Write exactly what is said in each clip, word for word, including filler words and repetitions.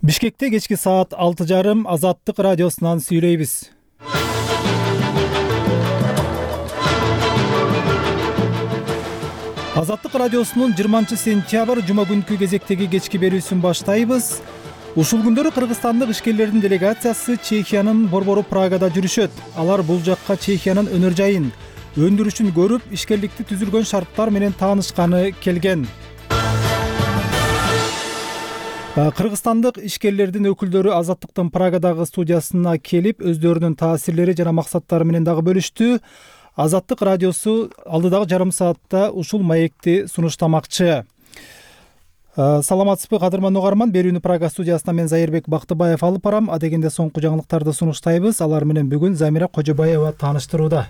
Бишкекте кечки саат алты жарым Азаттык радиосунан сүйлөйбүз. Азаттык радиосунун жыйырманчы сентябрь жума күнкү кезектеги кечки берүүсүн баштайбыз. Ушул күндөрү кыргызстандык ишкерлердин делегациясы Чехиянын борбору Прагада жүрүшөт. Алар бул жакка Чехиянын өнөр жайын, өндүрүшүн көрүп, ишкерликти түзүлгөн шарттар менен таанышканы келген. Кыргызстандык ишкерлердин өкүлдөрү Азаттыктын Прагадагы студиясына келип, өздөрүнүн таасирлери жана максаттары менен дагы бөлүштү. Азаттык радиосу алдыдагы жарым саатта ушул маекти сунуштамакчы. Саламатсызбы, кадырман угарман. Берүүнү Прага студиясынан мен Зайырбек Бактыбаев алып барам. Адегенде соңку жаңылыктарды сунуштайбыз. Алар менен бүгүн Замира Кожобаева тааныштырууда.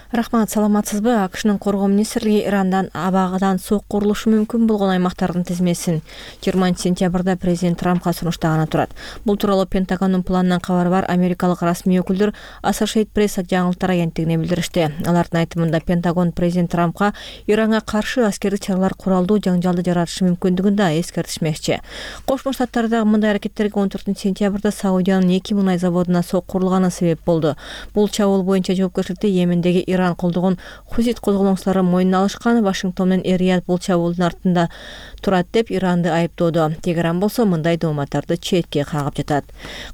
Рахмат, саламатсызбы? АКШнын коргоо министрлиги Ирандан абагыдан сок курулушу мүмкүн болгон аймактардын тизмесин жыйырманчы сентябрда президент Трампка сунуштаганы турат. Бул тууралуу Пентагондун планынан кабары бар америкалык расмий өкүлдөр Associated Press жаңылыктар агенттигине билдиришти. Алардын айтымында Пентагон президент Трампка Иранга каршы аскердик чаралар куралдуу жаңжалды жаратышы мүмкүндүгүн да эскертишмекчи. Кошмо Штаттардагы мындай аракеттерге он төртүнчү сентябрда Саудиянын эки мунай заводуна сок курулганы себеп болду. Бул чабуул боюнча жоопкерчиликти Йемендеги Иран колдогон Хусит козголоңчулары мойнуна алышкан. Вашингтон менен Эр-Рияд бул чабуулдун артында турат деп Иранды айыптоодо. Тегеран болсо мындай дооматтарды четке кагып жатат.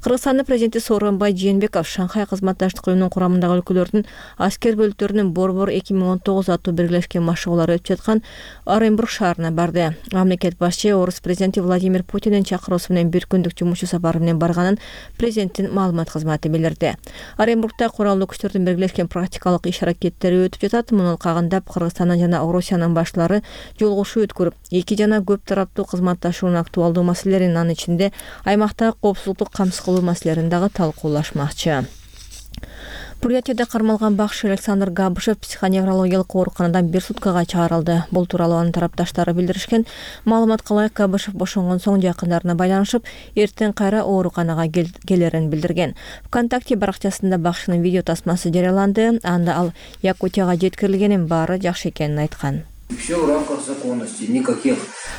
Кыргызстандын президенти Сооронбай Жээнбеков Шанхай кызматташтык уюмунун курамындагы өлкөлөрдүн аскер бөлүктөрүнүн Борбор эки миң он тогуз аттуу биргелешкен машыгуулары өтүп жаткан Оренбург шаарына барды. Мамлекет башчы орус президенти Владимир Путиндин чакыруусу менен бир күндүк жумушчу сапары менен барганын президенттин маалымат кызматы билдирди. Оренбургда куралдуу күчтөрдүн биргелешкен практикалык иш аракеттери өтүп жатат. Муну кагындап Кыргызстандын жана Орусиянын башлары жолугушуу өткөрүп, эки жана көп тараптуу кызматташуунун актуалдуу маселелерин, анын ичинде аймактагы коопсуздукту камсыз кылуу маселелерин дагы талкуулашмакчы. Бурятияда кармалган бакшы Александр Габышев психоневрологиялык ооруканадан бир суткага чыгарылды. Бул тууралуу анын тарапташтары билдиришкен. Маалыматка ылайык, Габышев бошонгон соң жакындарына байланышып, эртең кайра ооруканага келерин билдирген. ВКонтакте баракчасында бакшынын видео тасмасы жарыяланды. Анда ал Якутияга жеткирилгенин, баары жакшы экенин айткан. Все в рамках законности, никаких.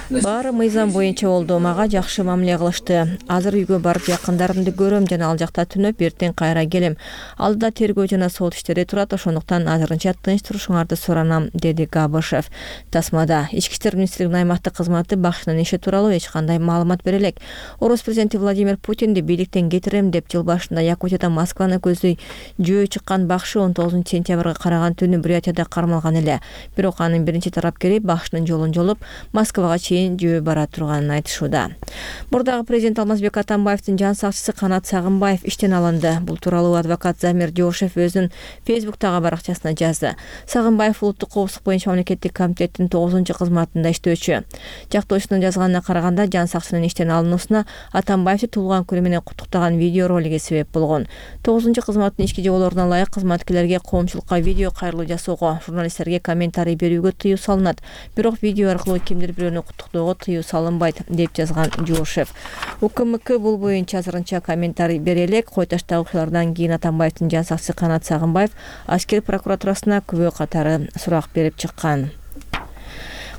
Баары мыйзам боюнча болду, мага жакшы мамиле кылышты. Азыр үйгө барып жакындарымды көрөм жана ал жакта түнөп, эртең кайра келем. Алдыда тергөө жана сот иштери турат, ошондуктан азырынча тынч турушуңарды суранам, деди Габышев. Тасмада Ички иштер министрлигинин аймактык кызматы бакшынын иши тууралуу эч кандай маалымат бере элек. Орус президенти Владимир Путинди бийликтен кетирем деп жыл башында Якутияда Москваны көздөй жөө чыккан бакшы он тогузунчу сентябрга караган түнү Бурятияда кармалган эле. Бирок анын биринчи тарапкери бакшынын жолун жолуп, Москвага чейин жөө бара турганын айтышууда. Мурдагы президент Алмазбек Атамбаевдин жан сакчысы Канат Сагынбаев иштен алынды. Бул тууралуу адвокат Замир Жошев өзүнүн Фейсбуктагы баракчасына жазды. Сагынбаев улуттук коопсуздук боюнча мамлекеттик комитеттин тогузунчу кызматында иштөөчү. Жактоочунун жазганына караганда, жан сакчынын иштен алынуусуна Атамбаевди туулган күнү менен куттуктаган видео ролиги себеп болгон. тогузунчу кызматтын ички жоболоруна ылайык кызматкерлерге коомчулукка видео кайрылуу жасоого, журналисттерге комментарий берүүгө тыюу салынат. Бирок видео аркылуу кимдир бирөөнү куттуктоого тыюу салынбайт, деп жазган Жошев. УКМК бул боюнча азырынча комментарий бере элек. Кой таштагы окуялардан кийин Атамбаевдин жан сакчысы Канат Сагынбаев аскер прокуратурасына күбө катары сурак берип чыккан.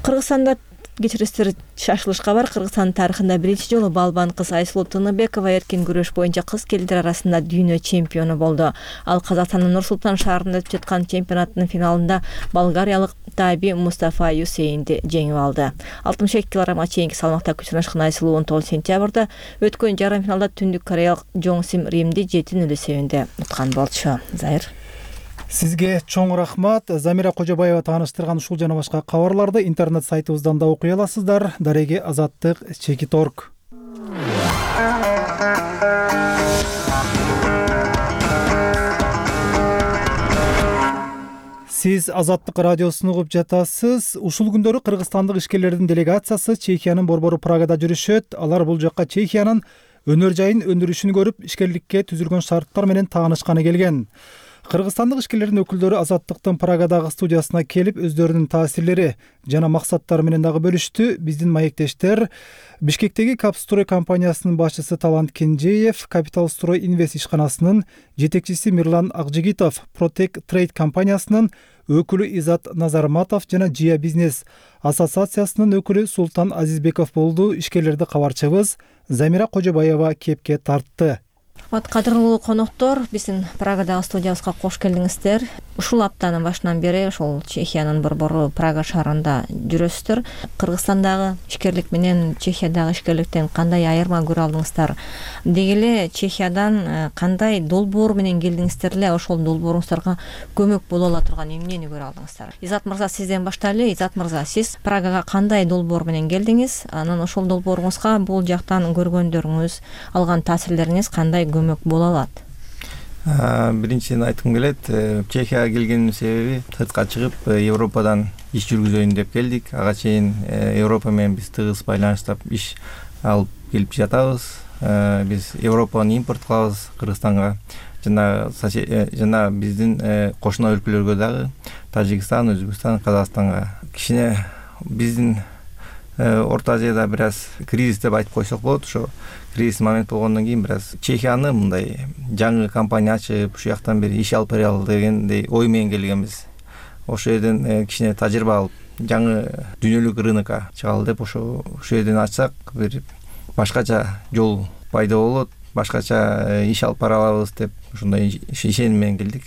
Кыргызстанда кечиристер шашылышка бар. Кыргызстан тарыхында биринчи жолу балбан кыз Айсулуу Тыныбекова эркин күрөш боюнча кыз келиндер арасында дүйнө чемпиону болду. Ал Казакстандын Нур Султан шаарында өтүп жаткан чемпионаттын финалында болгариялык Таби Мустафа Юсейнди жеңип алды. алтымыш эки килограммга чейинки салмакта күч сынашкан Айсулуу он тогузунчу сентябрда өткөн жарым финалда түндүк кореялык Жон Сим Римди жети нөл эсебинде уткан болчу. Зайыр. Сизге чоң рахмат. Замира Кожобаева тааныштырган ушул жана башка кабарларды интернет сайтыбыздан да окуй аласыздар. Дареги Азаттык чекит точка орг. Сиз Азаттык радиосун угуп жатасыз. Ушул күндөрү кыргызстандык ишкерлердин делегациясы Чехиянын борбору Прагада жүрүшөт. Алар бул жакка Чехиянын өнөр жайын, өндүрүшүн көрүп, ишкерликке түзүлгөн шарттар менен таанышканы келген. Кыргызстандык ишкерлердин өкүлдөрү Азаттыктын Прагадагы студиясына келип өздөрүнүн таасирлери жана максаттары менен дагы бөлүштү. Биздин маектештер Бишкектеги Капстрой компаниясынын башчысы Талант Кенжеев, Капитал Строй Инвест ишканасынын жетекчиси Мирлан Акжигитов, Протек Трейд компаниясынын өкүлү Изат Назарматов жана Жия бизнес ассоциациясынын өкүлү Султан Азизбеков болду. Ишкерлерди кабарчыбыз Замира Кожобаева кепке тартты. Вот кадырлуу коноктор, биздин Прагадагы студиябызга кош келиңиздер. Ушул аптанын башынан бери ошол Чехиянын борбору Прага шаарында жүрөсүздөр. Кыргызстандагы ишкерлик менен Чехиядагы ишкерликтен кандай айырма көрө алдыңыздар? Деги эле Чехиядан кандай долбоор менен келдиңиздер эле, ошол долбооруңуздарга көмөк боло ала турган эмнени көрө алдыңыздар? Изат мырза, сизден баштайлы. Изат мырза, сиз Прагага кандай долбоор менен келдиңиз? Анан ошол долбооруңузга бул жактан көргөндөрүңүз, алган таасирлериңиз кандай көмөк боло алат? Биринчиден айткым келет, Чехияга келгендин себеби сыртка чыгып Европадан иш жүргүзөйүн деп келдик. Ага чейин Европа менен биз тыгыз байланыштап иш алып келип жатабыз. Биз Европаны импорт кылабыз Кыргызстанга. Жана жана биздин кошуна өлкөлөргө дагы Тажикстан, Өзбекстан, Казакстанга. Кичине биздин Орто Азияда бир аз кризис деп айтып койсок болот. Ошо кризис момент болгондон кийин бир аз Чехияны мындай жаңы компания ачып, ушул жактан бери иш алып берели дегендей ой менен келгенбиз. Ошол жерден кичине тажрыйба алып, жаңы дүйнөлүк рынокко чыгалы деп ошо ушул жерден ачсак, бир башкача жол пайда болот, башкача иш алып бара алабыз деп ушундай ишеним менен келдик.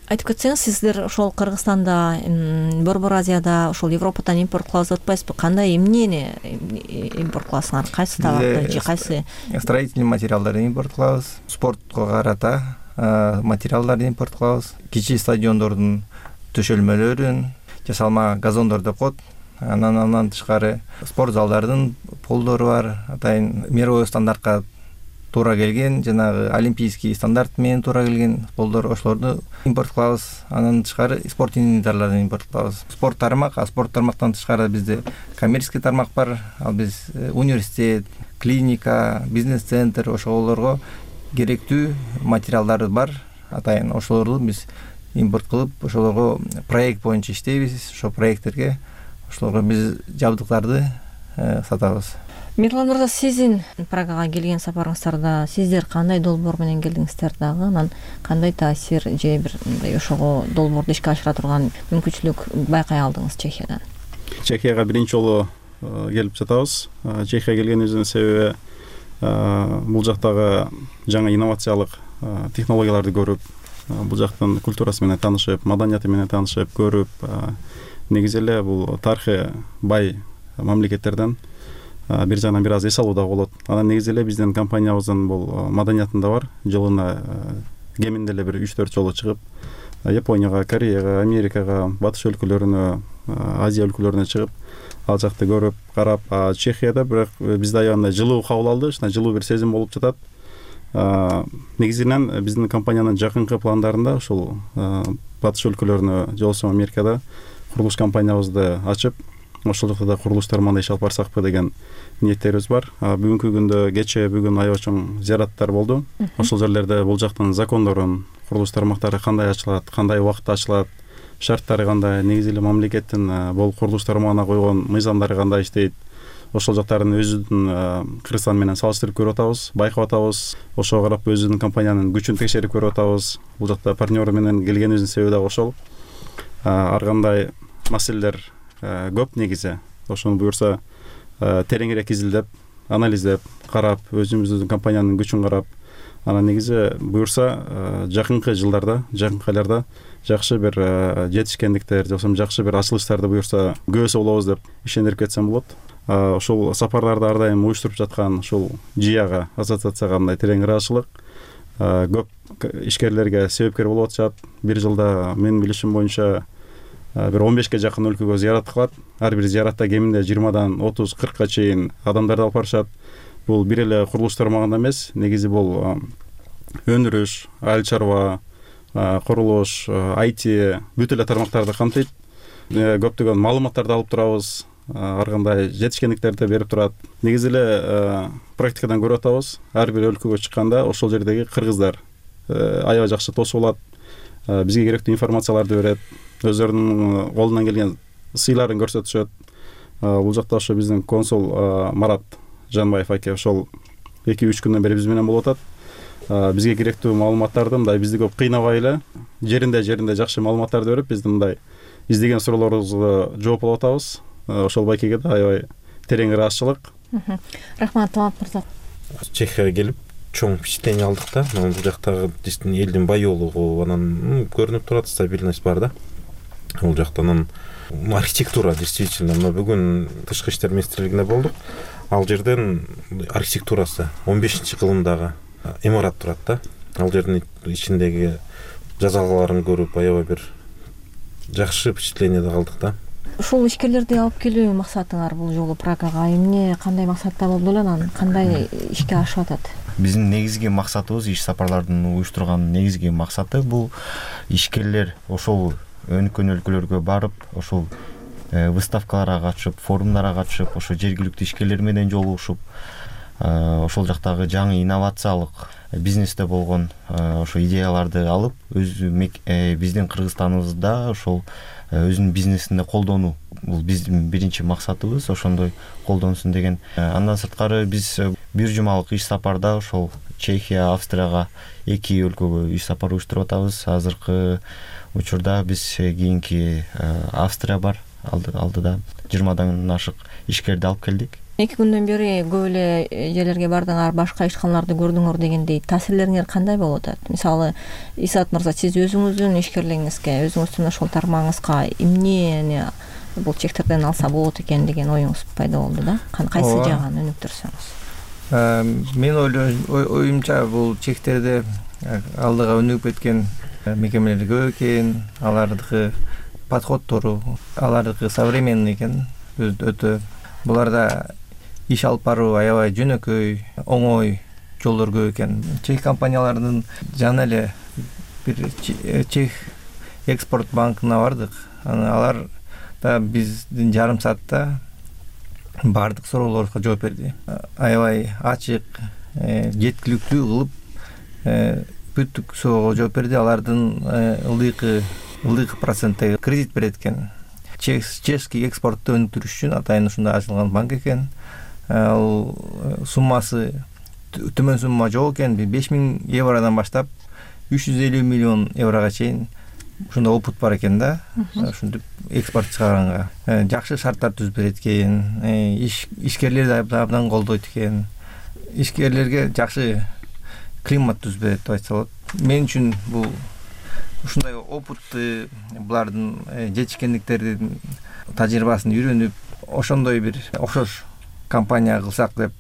Айтып кетсеңиз, сиздер ошол Кыргызстанда, Борбор Азияда, ошол Европадан импорт кылабыз деп атпайсызбы? Кандай эмнени импорт кыласыңар? Кайсы товарды же кайсы? Строительный материалдарды импорт кылабыз, спортко карата материалдарды импорт кылабыз, кичи стадиондордун төшөлмөлөрүн, жасалма газондор деп коет. Анан андан тышкары спорт залдардын полдору бар, атайын мировой стандартка туура келген, жанагы олимпийский стандарт менен туура келген полдор, ошолорду импорт кылабыз. Андан тышкары спорт инвентарларын импорт кылабыз. Спорт тармак, а спорт тармактан тышкары бизде коммерческий тармак бар. Ал биз университет, клиника, бизнес-центр, ошолорго керектүү материалдар бар. Атайын ошолорду биз импорт кылып, ошолорго проект боюнча иштейбиз. Ошол проекттерге ошолорго биз жабдыктарды сатабыз. Мирлан мырза, сиздин Прагага келген сапарыңыздарда сиздер кандай долбоор менен келдиңиздер дагы? Анан кандай таасир же бир мындай ошого долбоорду ишке ашыра турган мүмкүнчүлүк байкай алдыңыз Чехиядан? Чехияга биринчи жолу келип жатабыз. Чехияга келгенибиздин себеби бул жактагы жаңы инновациялык технологияларды көрүп, бул жактын культурасы менен таанышып, маданияты менен таанышып, көрүп, негизи эле бул тарыхы бай мамлекеттерден бир жагынан бир аз эс алуу да болот. Анан негизи эле биздин компаниябыздын бул маданиятында бар. Жылына кеминде эле бир үч төрт жолу чыгып, Японияга, Кореяга, Америкага, батыш өлкөлөрүнө, Азия өлкөлөрүнө чыгып, ал жакты көрүп, карап, Чехияда бирок бизде аябай жылуу кабыл алды, ушундай жылуу бир сезим болуп жатат. Негизинен биздин компаниянын жакынкы пландарында ушул батыш өлкөлөрүнө, же болбосо Америкада курулуш компаниябызды ачып, ошол жакта да курулуштарманда иш алып барсакпы деген ниеттерибиз бар. Бүгүнкү күндө кечээ бүгүн аябай чоң зыяраттар болду. Ошол жерлерде бул жактын закондорун, курулуш тармактары кандай ачылат, кандай убакытта ачылат, шарттары кандай, негизи эле мамлекеттин бул курулуш тармагына койгон мыйзамдары кандай иштейт, ошол жактарын өзүбүздүн Кыргызстан менен салыштырып көрүп атабыз, байкап атабыз. Ошого карап өзүбүздүн компаниянын күчүн текшерип көрүп атабыз. Бул жакта партнер менен келгенибиздин себеби да ошол. Ар кандай маселелер көп негизи. Ошону буюрса тереңирээк изилдеп, анализдеп, карап, өзүбүздүн компаниянын күчүн карап, анан негизи буюрса жакынкы жылдарда, жакынкы айларда жакшы бир жетишкендиктер, же болбосо жакшы бир ачылыштарды буюрса көбөсө болобуз деп ишендирип кетсем болот. Ошол сапарларды ар дайым уюштуруп жаткан ушул Жияга, ассоциацияга мындай терең ыраазычылык көп ишкерлерге себепкер болуп атышат. Бир жылда менин билишим боюнча бир он бешке жакын өлкөгө зыярат кылат. Ар бир зыяратта кеминде жыйырмадан отуз кыркка чейин адамдарды алып барышат. Бул бир эле курулуш тармагында эмес, негизи бул өндүрүш, айыл чарба, курулуш, ай ти бүт эле тармактарды камтыйт. Көптөгөн маалыматтарды алып турабыз, ар кандай жетишкендиктерди берип турат. Негизи эле практикадан көрүп атабыз. Ар бир өлкөгө чыкканда ошол жердеги кыргыздар аябай жакшы тосуп алат. бизге керектүү информацияларды берет, өздөрүнүн колунан келген сыйларын көрсөтүшөт. Бул жакта ошо биздин консул Марат Жанбаев аке ошол эки үч күндөн бери биз менен болуп атат. Бизге керектүү маалыматтарды мындай бизди көп кыйнабай эле жеринде жеринде жакшы маалыматтарды берип, биздин мындай издеген суроолорубузга жооп алып атабыз. Ошол байкеге да аябай терең ыраазычылык. Рахмат, Талант мырза. Чехияга келип чоң впечатление алдык да. Бул жактагы действительно элдин баyoolугу, анан көрүнүп турат, стабильность бар да. Бул жактан архитектура действительно, но бүгүн тышкы иштер министрлигинде болдук. Ал жерден архитектурасы он бешинчи кылымдагы имарат турат да. Ал жердин ичиндеги жазалгаларын көрүп аябай бир жакшы впечатлениеде калдык да. Ушул ишкерлерди алып келүү максатыңар бул жолу Прагага эмне, кандай максатта болду эле, анан кандай ишке ашып атат? Биздин негизги максатыбыз, иш сапарлардын уюштурган негизги максаты бул ишкерлер ошол өнүккөн өлкөлөргө барып, ошол выставкаларга катышып, форумдарга катышып, ошо жергиликтүү ишкерлер менен жолугушуп, ошол жактагы жаңы инновациялык бизнесте болгон ошо идеяларды алып, өз биздин Кыргызстаныбызда ошол өзүнүн бизнесинде колдонуу. Бул биздин биринчи максатыбыз, ошондой колдонсун деген. Андан сырткары биз бир жумалык иш сапарда ошол Чехия, Австрияга эки өлкөгө иш сапар уюштуруп атабыз. Азыркы учурда биз кийинки Австрия бар, алдыда жыйырмадан ашык ишкерди алып келдик. Эки күндөн бери көп эле жерлерге бардыңар, башка ишканаларды көрдүңөр дегендей таасирлериңер кандай болуп атат? Мисалы, Исаат мырза, сиз өзүңүздүн ишкерлигиңизге, өзүңүздүн ошол тармагыңызга эмнени бул чектерден алса болот экен деген оюңуз пайда болду да? Кайсы жагын өнүктүрсөңүз? Мен оюмча бул чектерде алдыга өнүгүп кеткен мекемелер көп экен, алардыкы подходтору, алардыкы современный экен, өтө. Буларда иш алып баруу аябай жөнөкөй, оңой жолдор көп экен. Чех компанияларынын жана эле бир Чех экспорт банкына бардык. Алар да биздин жарым саатта бардык суроолорубузга жооп берди. Аябай ачык, жеткиликтүү кылып бүттүк суроого жооп берди. Алардын ылдыйкы ылдыйкы проценттеги кредит берет экен. Чешский экспортты өнүктүрүш үчүн атайын ушундай ачылган банк экен. Ал суммасы төмөн сумма жок экен, беш миң евродан баштап үч жүз элүү миллион еврого чейин ушундай опыт бар экен да. Ушинтип экспорт чыгарганга жакшы шарттар түзүп берет экен. Ишкерлерди абдан колдойт экен. Ишкерлерге жакшы климат түзүп берет деп айтса болот. Мен үчүн бул ушундай опытты, булардын жетишкендиктердин тажрыйбасын үйрөнүп, ошондой бир окшош компания кылсак деп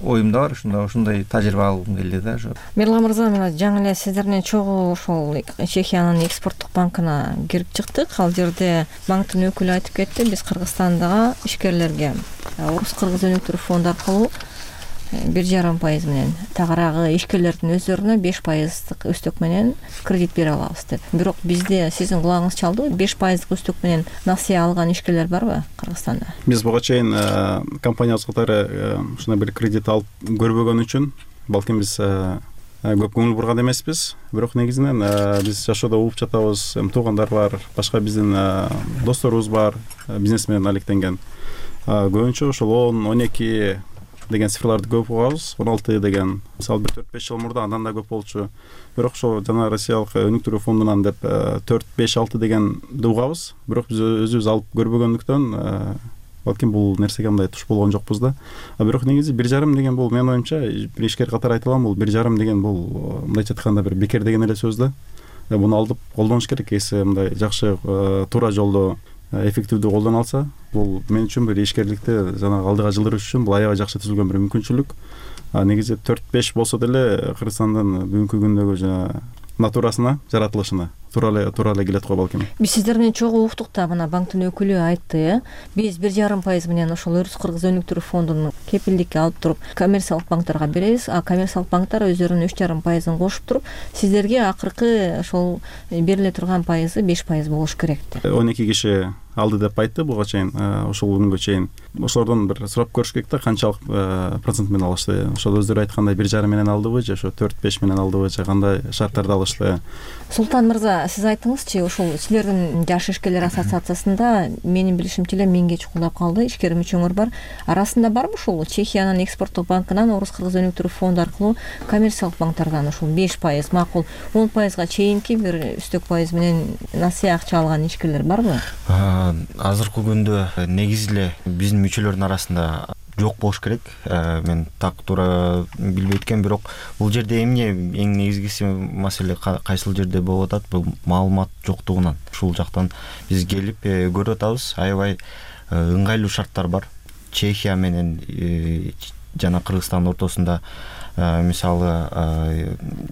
оюмда бар. Ушундай ушундай тажрыйба алгым келди да. Мирлан мырза, мен жаңы эле сиздерден чогуу ошол Чехиянын экспорттук банкына кирип чыктык. Ал жерде банктын өкүлү айтып кетти, биз Кыргызстандагы ишкерлерге Орус кыргыз өнүктүрүү фонду аркылуу бир жарым пайыз менен, тагыраагы ишкерлердин өздөрүнө беш пайыздык өстөк менен кредит бере алабыз деп. Бирок бизде сиздин кулагыңыз чалдыбы? беш пайыздык өстөк менен насыя алган ишкерлер барбы Кыргызстанда? Биз буга чейин компаниябыз катары ушундай бир кредит алып көрбөгөн үчүн балким биз көп көңүл бурган эмеспиз. Бирок негизинен биз жашоодо угуп жатабыз, туугандар бар, башка биздин досторубуз бар, бизнесмен алектенген. Көбүнчө ошол он он эки деген цифрларды көп угабыз. он алты деген мисалы бир төрт беш жыл мурда андан да көп болчу. Бирок ошо жана Россиялык өнүктүрүү фондунан деп төрт беш алты дегенди угабыз. Бирок биз өзүбүз алып көрбөгөндүктөн балким бул нерсеге мындай туш болгон жокпуз да. А бирок негизи бир жарым деген бул менин оюмча бир ишкер катары айтылган, бул бир жарым деген бул мындайча айтканда бир бекер деген эле сөз да. Буну алып колдонуш керек. Эси мындай жакшы туура жолдо эффективдүү колдоно алса, бул мен үчүн бир ишкерликти жана алдыга жылдырыш үчүн бул аябай жакшы түзүлгөн бир мүмкүнчүлүк. Негизи төрт беш болсо деле Кыргызстандын бүгүнкү күндөгү жана натурасына, жаратылышына туура эле туура эле келет го балким. Биз сиздерден чогуу уктук да, мына банктын өкүлү айтты, биз бир жарым пайыз менен ошол Орус кыргыз өнүктүрүү фондунун кепилдикке алып туруп коммерциялык банктарга беребиз, а коммерциялык банктар өздөрүнүн үч жарым пайызын кошуп туруп, сиздерге акыркы ошол бериле турган пайызы беш пайыз болуш керек деп. он эки киши алды деп айтты буга чейин. Ошол күнгө чейин ошолордон бир сурап көрүш керек да, канчалык процент менен алышты. Ошол өздөрү айткандай бир жарым менен алдыбы же ошо төрт беш менен алдыбы же кандай шарттарда алышты? Султан мырза, сиз айттыңызчы, ушул силердин жаш ишкерлер ассоциациясында менин билишимче эле миңге чукулдап калды ишкер мүчөңөр бар. Арасында барбы ушул Чехиянын экспорттук банкынан Орус-Кыргыз өнүктүрүү фонду аркылуу коммерциялык банктардан ушул беш пайыз, макул он пайызга чейинки бир үстөк пайыз менен насыя акча алган ишкерлер барбы? Азыркы күндө негизи эле биздин мүчөлөрдүн арасында жок болуш керек. Мен так туура билбейт экенмин, бирок бул жерде эмне эң негизгиси маселе кайсыл жерде болуп атат? Бул маалымат жоктугунан. Ушул жактан биз келип көрүп атабыз. Аябай ыңгайлуу шарттар бар. Чехия менен жана Кыргызстандын ортосунда мисалы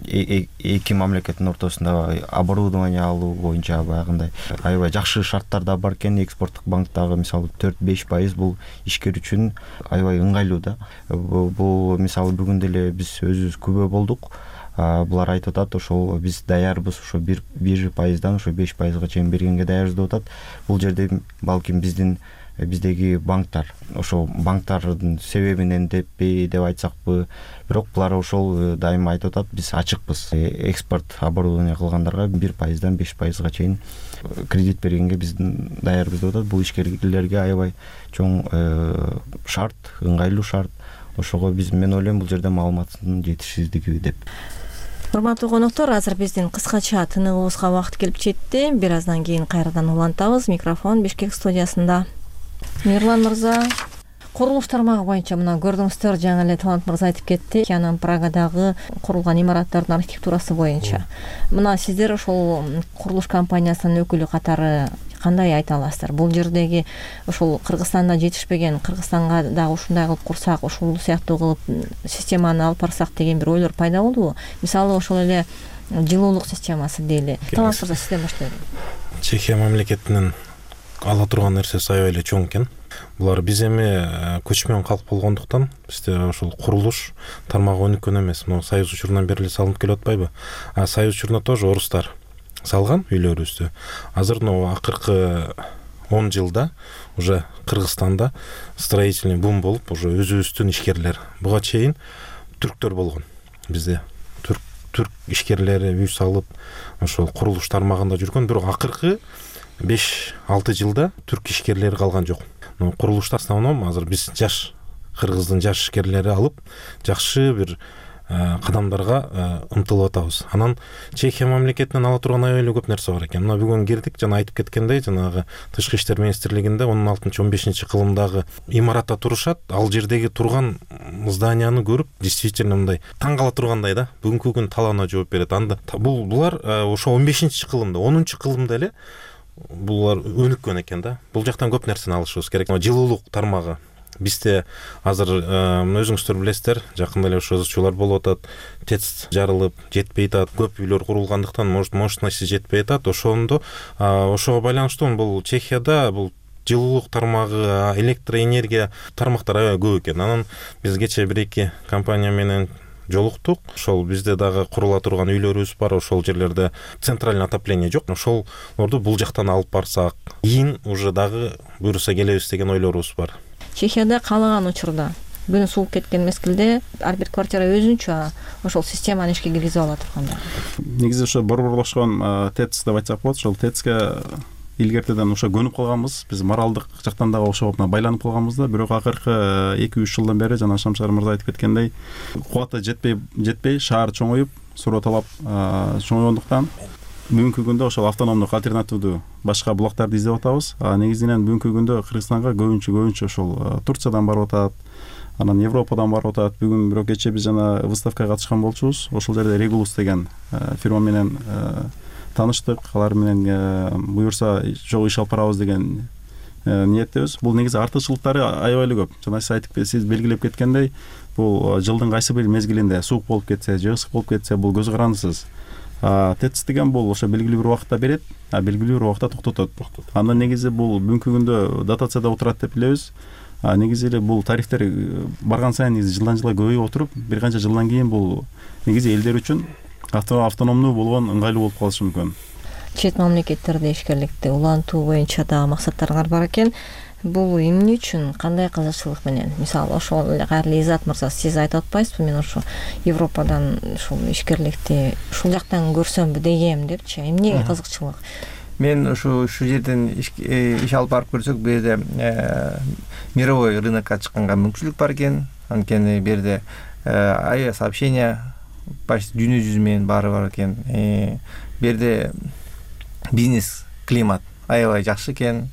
эки мамлекеттин ортосунда оборудование алуу боюнча баягындай аябай жакшы шарттар да бар экен. Экспорттук банктагы мисалы төрт беш пайыз бул ишкер үчүн аябай ыңгайлуу да. Бул мисалы бүгүн деле биз өзүбүз күбө болдук. Булар айтып атат, ошол биз даярбыз, ошо бир пайыздан ошо беш пайызга чейин бергенге даярбыз деп атат. Бул жерде балким биздин биздеги банктар, ошол банктардын себебинен деппи деп айтсакпы, бирок булар ошол дайыма айтып атат, биз ачыкпыз. Экспорт оборудование кылгандарга бир пайыздан беш пайызга чейин кредит бергенге биз даярбыз деп атат. Бул ишкерлерге аябай чоң шарт, ыңгайлуу шарт. Ошого биз, мен ойлойм, бул жерде маалыматтын жетишсиздиги деп. Урматтуу коноктор, азыр биздин кыскача тыныгыбызга убакыт келип жетти. Бир аздан кийин кайрадан улантабыз. Микрофон Бишкек студиясында. Мирлан мырза, курулуш тармагы боюнча мына көрдүңүздөр, жаңы эле Талант мырза айтып кетти, Чехиянын Прагадагы курулган имараттардын архитектурасы боюнча. Мына сиздер ошол курулуш компаниясынын өкүлү катары кандай айта аласыздар? Бул жердеги ошол Кыргызстанда жетишпеген, Кыргызстанга дагы ушундай кылып курсак, ушул сыяктуу кылып системаны алып барсак деген бир ойлор пайда болдубу? Мисалы ошол эле жылуулук системасы дейли. Талант мырза, сизден баштайлы. Чехия мамлекетинин ала турган нерсеси аябай эле чоң экен. Булар биз эми көчмөн калк болгондуктан бизде ошол курулуш тармагы өнүккөн эмес. Мына Союз учурунан бери эле салынып келип атпайбы? А Союз учурунда тоже орустар салган үйлөрүбүздү. Азыр мына акыркы он жылда уже Кыргызстанда строительный бум болуп, уже өзүбүздүн ишкерлер, буга чейин түрктөр болгон. Бизде түрк түрк ишкерлери үй салып, ошол курулуш тармагында жүргөн, бирок акыркы беш алты жылда түрк ишкерлери калган жок. Курулушта основном азыр биз жаш кыргыздын жаш ишкерлери алып, жакшы бир кадамдарга ынтылып атабыз. Анан Чехия мамлекетинен ала турган аябай эле көп нерсе бар экен. Мына бүгүн кирдик, жана айтып кеткендей, жанагы Тышкы иштер министрлигинде он алтынчы он бешинчи кылымдагы имаратта турушат. Ал жердеги турган зданияны көрүп, действительно мындай таң кала тургандай да. Бүгүнкү күн талаана жооп берет. Анда бул булар ошо он бешинчи кылымда, онунчу кылымда эле булар өнүккөн экен да. Бул жактан көп нерсени алышыбыз керек. Жылуулук тармагы бизде азыр өзүңүздөр билесиздер, жакында эле ошо ызчуулар болуп атат, ТЭЦ жарылып жетпей атат, көп үйлөр курулгандыктан мощности жетпей атат. Ошондо ошого байланыштуу бул Чехияда бул жылуулук тармагы, электроэнергия тармактары аябай көп экен. Анан биз кече бир эки компания менен жолуктук. Ошол бизде дагы курула турган үйлөрүбүз бар, ошол жерлерде центральный отопление жок. Ошолорду бул жактан алып барсак, кийин уже дагы буюрса келебиз деген ойлорубуз бар. Чехияда каалаган учурда күн сууп кеткен мезгилде ар бир квартира өзүнчө ошол системаны ишке киргизип ала турганда. Негизи ошо борборлошкон ТЭЦ деп айтсак болот. Ошол ТЭЦке илгертеден ошо көнүп калганбыз. Биз моралдык жактан дагы ошого байланып калганбыз да. Бирок акыркы эки үч жылдан бери жана Шамшар мырза айтып кеткендей, кубаты жетпей жетпей шаар чоңоюп, суроо талап чоңойгондуктан бүгүнкү күндө ошол автономдук альтернативдүү башка булактарды издеп атабыз. Негизинен бүгүнкү күндө Кыргызстанга көбүнчө көбүнчө ошол Турциядан барып атат, анан Европадан барып атат. Бүгүн бирок кече биз жана выставкага катышкан болчубуз. Ошол жерде Регулус деген фирма менен таныштык. Алар менен буюрса жок иш алып барабыз деген ниеттебиз. Бул негизи артыкчылыктары аябай эле көп. Жана сиз айтып сиз белгилеп кеткендей, бул жылдын кайсы бир мезгилинде суук болуп кетсе, же ысык болуп кетсе, бул көз карандысыз. ТЭЦ деген бул ошо белгилүү бир убакытта берет, а белгилүү бир убакытта токтотот. Андан негизи бул бүгүнкү күндө дотацияда отурат деп билебиз. Негизи эле бул тарифтер барган сайын негизи жылдан жылга көбөйүп отуруп, бир канча жылдан кийин бул негизи элдер үчүн автономдуу болгон ыңгайлуу болуп калышы мүмкүн. чет мамлекеттерде ишкерликти улантуу боюнча дагы максаттарыңар бар экен. Бул эмне үчүн, кандай кызыкчылык менен? Мисалы, ошол эле кайрылуу Изат мырза, сиз айтып атпайсызбы, мен ошо Европадан ушул ишкерликти ушул жактан көрсөмбү дегем депчи. Эмнеге кызыкчылык? Мен ушу ушул жерден иш алып барып көрсөк, бу жерде мировой рынокко чыкканга мүмкүнчүлүк бар экен. Анткени бу жерде авиасообщение почти дүйнө жүзү менен баары бар экен. Бу жерде бизнес климат аябай жакшы экен.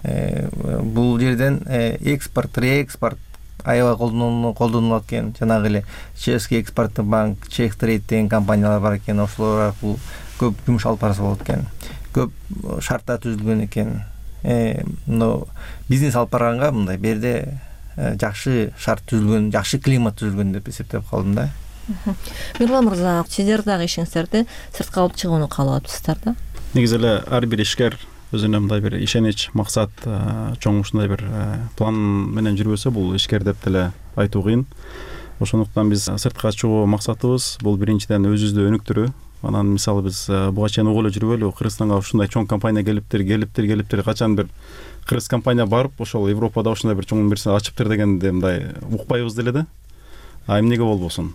Бул жерден экспорт, реэкспорт аябай колдонулат экен. Жанагы эле Чешский экспорттук банк, Чех Трейд деген компаниялар бар экен. Ошолор бул көп жумуш алып барса болот экен. Көп шарттар түзүлгөн экен. Но бизнес алып барганга мындай бу жерде жакшы шарт түзүлгөн, жакшы климат түзүлгөн деп эсептеп калдым да. Мирлан мырза, сиздер дагы ишиңиздерди сыртка алып чыгууну каалап атасыздар да? Негизи эле ар бир ишкер өзүнө мындай бир ишенич, максат, чоң ушундай бир план менен жүрбөсө, бул ишкер деп деле айтуу кыйын. Ошондуктан биз сыртка чыгуу максатыбыз бул биринчиден өзүбүздү өнүктүрүү. Анан мисалы биз буга чейин угуп эле жүрбөйлү, Кыргызстанга ушундай чоң компания келиптир, келиптир, келиптир, качан бир кыргыз компания барып, ошол Европада ушундай бир чоң нерсе ачыптыр дегенди мындай укпайбыз деле да. А эмнеге болбосун?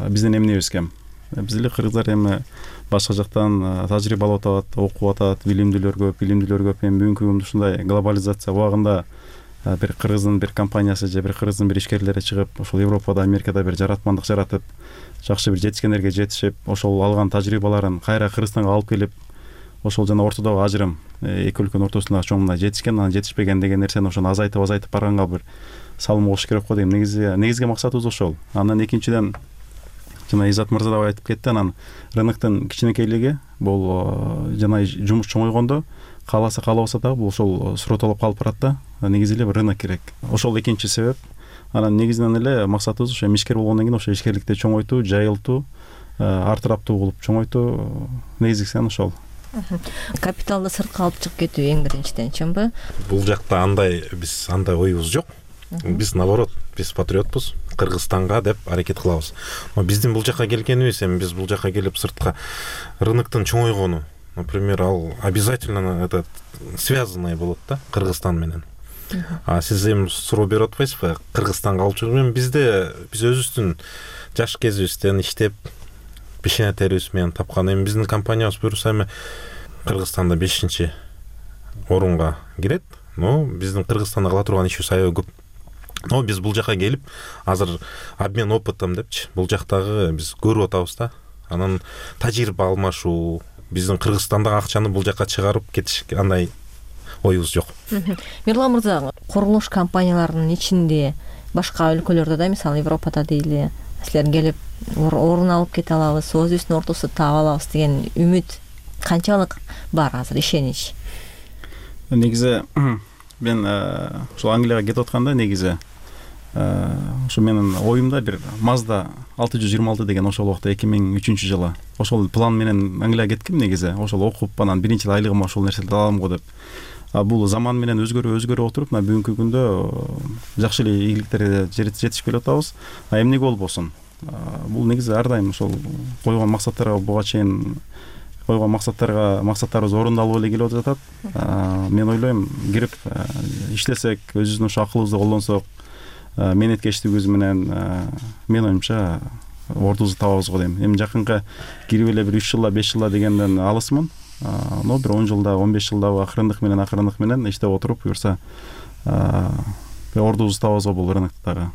Биздин эмнебиз кем? Биз эле кыргыздар эми башка жактан тажрыйба алып атат, окуп атат, билимдүүлөр көп, билимдүүлөр көп. Эми бүгүнкү күндө ушундай глобализация убагында бир кыргыздын бир компаниясы же бир кыргыздын бир ишкерлери чыгып, ошол Европада, Америкада бир жаратмандык жаратып, жакшы бир жетишкендерге жетишип, ошол алган тажрыйбаларын кайра Кыргызстанга алып келип, ошол жана ортодогу ажырым, эки өлкөнүн ортосунда чоң мындай жетишкен, анан жетишпеген деген нерсени ошону азайтып азайтып барганга бир салым болуш керек го дейм. Негизи негизги максатыбыз ошол. Анан экинчиден жана Изат мырза да айтып кетти, анан рыноктун кичинекейлиги бул жана жумуш чоңойгондо кааласа каалабаса дагы бул ошол суротолоп калып барат да. Негизи эле бир рынок керек. Ошол экинчи себеп. Анан негизинен эле максатыбыз ошо ишкер болгондон кийин ошо ишкерликти чоңойтуу, жайылтуу, артыраптуу кылып чоңойтуу, негизгиси ошол. Капиталды сыртка алып чыгып кетүү эң биринчиден, чынбы? Бул жакта андай биз андай оюбуз жок. Биз наоборот, биз патриотпуз, Кыргызстанга деп аракет кылабыз. Но биздин бул жака келгенибиз, эми биз бул жака келип сыртка рыноктун чоңойгону, например, ал обязательно этот связанный болот да Кыргызстан менен. А сиз эми суроо берип атпайсызбы, Кыргызстанга алып чыгуу менен бизде биз өзүбүздүн жаш кезибизден иштеп пешене терибиз менен тапкан. Эми биздин компаниябыз буюрса эми Кыргызстанда бешинчи орунга кирет. Но биздин Кыргызстанда кыла турган ишибиз аябай көп. Но биз бул жака келип, азыр обмен опытом депчи, бул жактагы биз көрүп атабыз да. Анан тажрыйба алмашуу, биздин Кыргызстандагы акчаны бул жака чыгарып кетиш андай оюбуз жок. Мирлан мырза, курулуш компанияларынын ичинде башка өлкөлөрдө да, мисалы Европада дейли, силер келип орун алып кете алабыз, өзүбүздүн ортосу таап алабыз деген үмүт канчалык бар азыр, ишенич? Негизи мен ошол Англияга кетип атканда негизи ошо менин оюмда бир Mazda алты жүз жыйырма алты деген ошол убакта эки миң үчүнчү жылы ошол план менен Англияга кетким негизи. Ошол окуп анан биринчи эле айлыгыма ошол нерселерди алам го деп. А бул заман менен өзгөрүп өзгөрүп отуруп, мына бүгүнкү күндө жакшы эле ийгиликтерге жетишип келип атабыз. А эмнеге болбосун? Бул негизи ар дайым ошол койгон максаттарга буга чейин койгон максаттарга максаттарыбыз орундалып эле келип жатат. Мен ойлойм, кирип иштесек, өзүбүздүн ошо акылыбызды колдонсок, менеткечтигибиз менен мен оюмча ордубузду табабыз го дейм. Эми жакынкы кирип эле бир үч жылда, беш жылда дегенден алысмын. Но бир он жылда, он беш жылда акырындык менен акырындык менен иштеп отуруп, буюрса ордубузду табабыз го бул рыноктогу.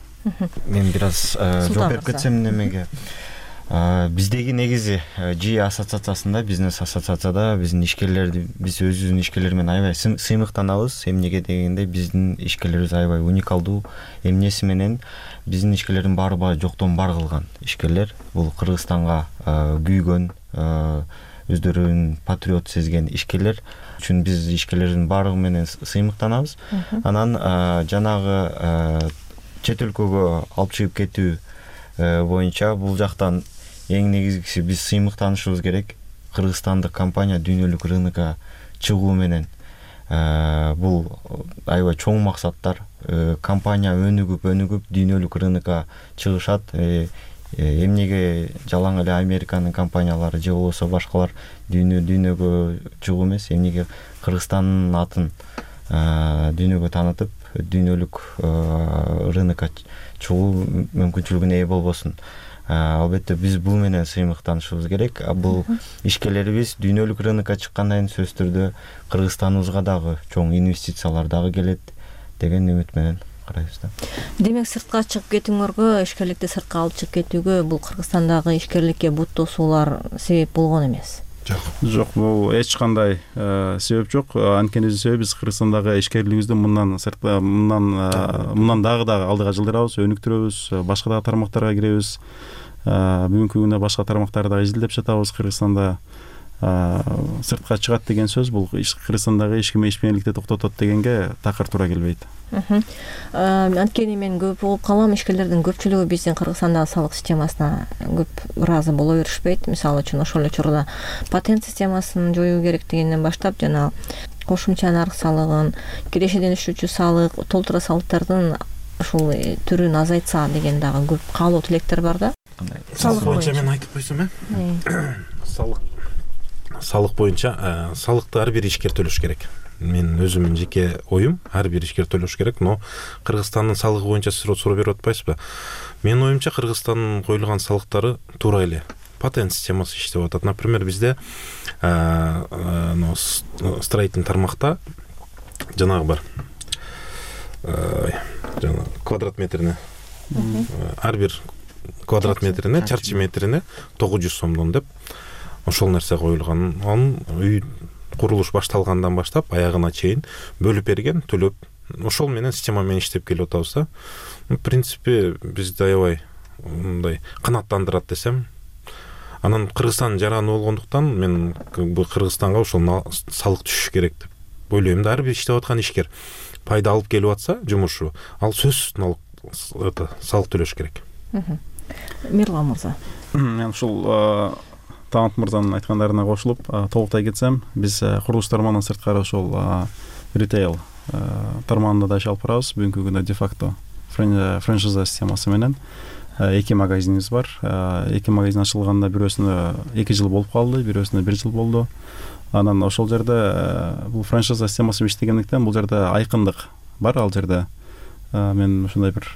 Мен бир аз жооп берип кетсем немеге. Биздеги негизи жи ассоциациясында, бизнес ассоциацияда биздин ишкерлерди, биз өзүбүздүн ишкерлер менен аябай сыймыктанабыз. Эмнеге дегенде биздин ишкерлерибиз аябай уникалдуу. Эмнеси менен биздин ишкерлердин баары баа жоктон бар кылган ишкерлер. Бул Кыргызстанга күйгөн, өздөрүн патриот сезген ишкерлер үчүн биз ишкерлердин баардыгы менен сыймыктанабыз. Анан жанагы чет өлкөгө алып чыгып кетүү боюнча бул жактан эң негизгиси биз сыймыктанышыбыз керек. Кыргызстандык компания дүйнөлүк рынокко чыгуу менен бул аябай чоң максаттар. Компания өнүгүп, өнүгүп дүйнөлүк рынокко чыгышат. эмнеге жалаң эле Американын компаниялары же болбосо башкалар дүйнө дүйнөгө чыгуу эмес, эмнеге Кыргызстандын атын дүйнөгө таанытып, дүйнөлүк рынокко чыгуу мүмкүнчүлүгүнө ээ болбосун. Албетте биз бул менен сыймыктанышыбыз керек. Бул ишкерлерибиз дүйнөлүк рынокко чыккандан кийин сөзсүз түрдө Кыргызстаныбызга дагы чоң инвестициялар дагы келет деген үмүт менен карайбыз да. Демек сыртка чыгып кетүүңөргө, ишкерликти сыртка алып чыгып кетүүгө бул Кыргызстандагы ишкерликке бут тосуулар себеп болгон эмес. Жок. Жок, бул эч кандай себеп жок. Анткени себеби биз Кыргызстандагы ишкерлигибизди мындан сыртка мындан мындан дагы дагы алдыга жылдырабыз, өнүктүрөбүз, башка дагы тармактарга киребиз. Бүгүнкү күндө башка тармактарды дагы изилдеп жатабыз. Кыргызстанда сыртка чыгат деген сөз бул Кыргызстандагы ишмердикти токтотот дегенге такыр туура келбейт. Анткени мен көп угуп калам, ишкерлердин көпчүлүгү биздин Кыргызстандагы салык системасына көп ыраазы боло беришпейт. Мисалы үчүн ошол эле учурда патент системасын жоюу керек дегенден баштап жана кошумча нарк салыгын, кирешеден түшүүчү салык, толтура салыктардын ушул түрүн азайтса деген дагы көп каалоо тилектер бар да. Салык боюнча мен айтып койсом, э? Салык салык боюнча салыкты ар бир ишкер төлөш керек. Мен өзүмдүн жеке оюм, ар бир ишкер төлөш керек, но Кыргызстандын салыгы боюнча сиз суроо берип атпайсызбы? Менин оюмча Кыргызстандын коюлган салыктары туура эле патент системасы иштеп атат. Например, бизде строительный тармакта жанагы бар. Жана квадрат метрине ар бир квадрат метрине, чарчы метрине тогуз жүз сомдон деп ошол нерсе коюлган. Анын үй курулуш башталгандан баштап аягына чейин бөлүп берген, төлөп, ошол менен система менен иштеп келип атабыз да. В принципе, бизди аябай мындай канааттандырат десем. Анан Кыргызстан жараны болгондуктан мен Кыргызстанга ошол салык түшүш керек деп ойлойм да. Ар бир иштеп аткан ишкер пайда алып келип атса жумушу, ал сөзсүз налог салык төлөш керек. Мирлан мырза. Мен ушул Таанат мырзанын айткандарына кошулуп толуктай кетсем, биз курулуш тармагынан сырткары ошол ритейл тармагында да иш алып барабыз. Бүгүнкү күндө де-факто франшиза системасы менен эки магазинибиз бар. Эки магазин ачылганда бирөөсүнө эки жыл болуп калды, бирөөсүнө бир жыл болду. Анан ошол жерде бул франшиза системасы иштегендиктен бул жерде айкындык бар. Ал жерде мен ушундай бир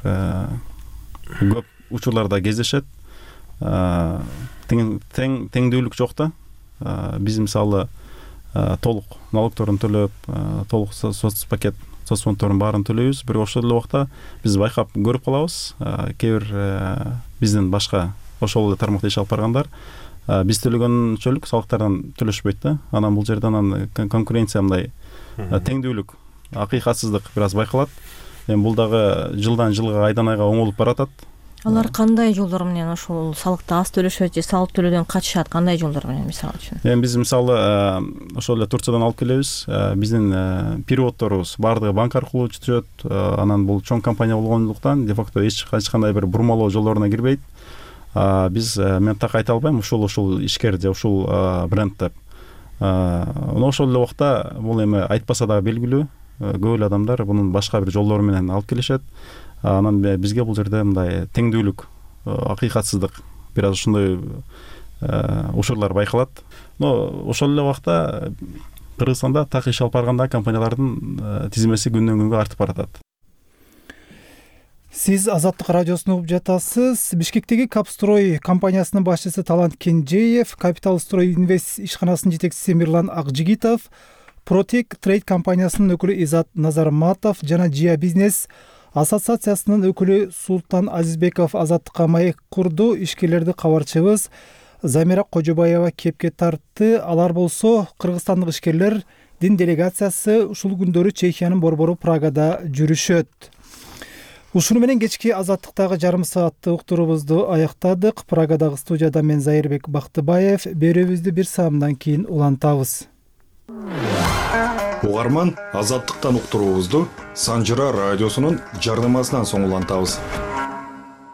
көп учурларда кездешет. Тең теңдүүлүк жок да. Биз мисалы толук налогторун төлөп, толук соц пакет, соц фондторун баарын төлөйбүз. Бирок ошол эле убакта биз байкап көрүп калабыз. Кээ бир биздин башка ошол эле тармакта иш алып баргандар биз төлөгөнчөлүк салыктардан төлөшпөйт да. Анан бул жерде анан конкуренция мындай теңдүүлүк, акыйкатсыздык бир аз байкалат. Эми бул дагы жылдан жылга, айдан айга оңолуп баратат. Алар кандай жолдор менен ошол салыкты аз төлөшөт же салык төлөөдөн качышат? Кандай жолдор менен мисалы үчүн? Эми биз мисалы ошол эле Турциядан алып келебиз. Биздин переводторубуз баардыгы банк аркылуу түшөт. Анан бул чоң компания болгондуктан де-факто эч кандай бир бурмалоо жолдоруна кирбейт. Биз мен так айта албайм ушул ушул ишкер же ушул бренд деп. Ошол эле убакта бул эми айтпаса дагы белгилүү. Көп эле адамдар мунун башка бир жолдору менен алып келишет. Анан бизге бул жерде мындай теңдүүлүк, акыйкатсыздык бир аз ушундай учурлар байкалат. Но ошол эле убакта Кыргызстанда так иш алып барганда компаниялардын тизмеси күндөн күнгө артып баратат. Сиз Азаттык радиосун угуп жатасыз. Бишкектеги Капстрой компаниясынын башчысы Талант Кенжеев, Капитал Строй Инвест ишканасынын жетекчиси Мирлан Акжигитов, Протек Трейд компаниясынын өкүлү Изат Назарматов жана Жия Бизнес ассоциациясынын өкүлү Султан Азизбеков Азаттыкка маек курду. Ишкерлерди кабарчыбыз Замира Кожобаева кепке тартты. Алар болсо кыргызстандык ишкерлердин делегациясы ушул күндөрү Чехиянын борбору Прагада жүрүшөт. Ушуну менен кечки Азаттыктагы жарым сааттык уктуруубузду аяктадык. Прагадагы студияда мен Зайырбек Бактыбаев. Берүүбүздү бир саамдан кийин улантабыз. Угарман, Азаттыктан уктуруубузду Санжыра радиосунун жарнамасынан соң улантабыз.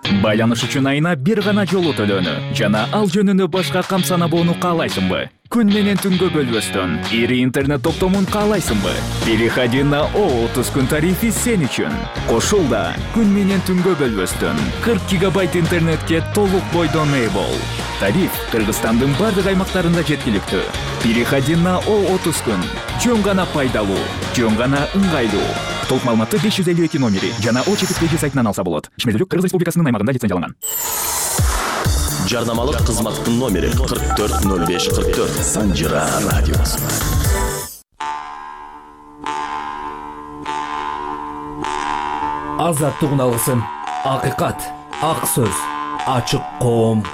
Байланыш үчүн айына бир гана жолу төлөөнү жана ал жөнүндө башка кам санабоону каалайсыңбы? Күн менен түнгө бөлбөстөн ири интернет топтомун каалайсыңбы? Переходи на о отуз күн тарифи сен үчүн. Кошулда күн менен түнгө бөлбөстөн кырк гигабайт интернетке толук бойдон ээ бол. Тариф Кыргызстандын бардык аймактарында жеткиликтүү. Переходи на о отуз күн. Жөн гана пайдалуу, жөн гана ыңгайлуу. Толук маалыматты беш жүз элүү эки номери жана о четирдеги сайтынан алса болот. Ишмердүүлүк Кыргыз Республикасынын аймагында лицензияланган. Жарнамалык кызматтын номери кырк төрт ноль беш кырк төрт. Санжира радиосу. Азаттык алгысын, акыйкат, ак сөз, ачык коом.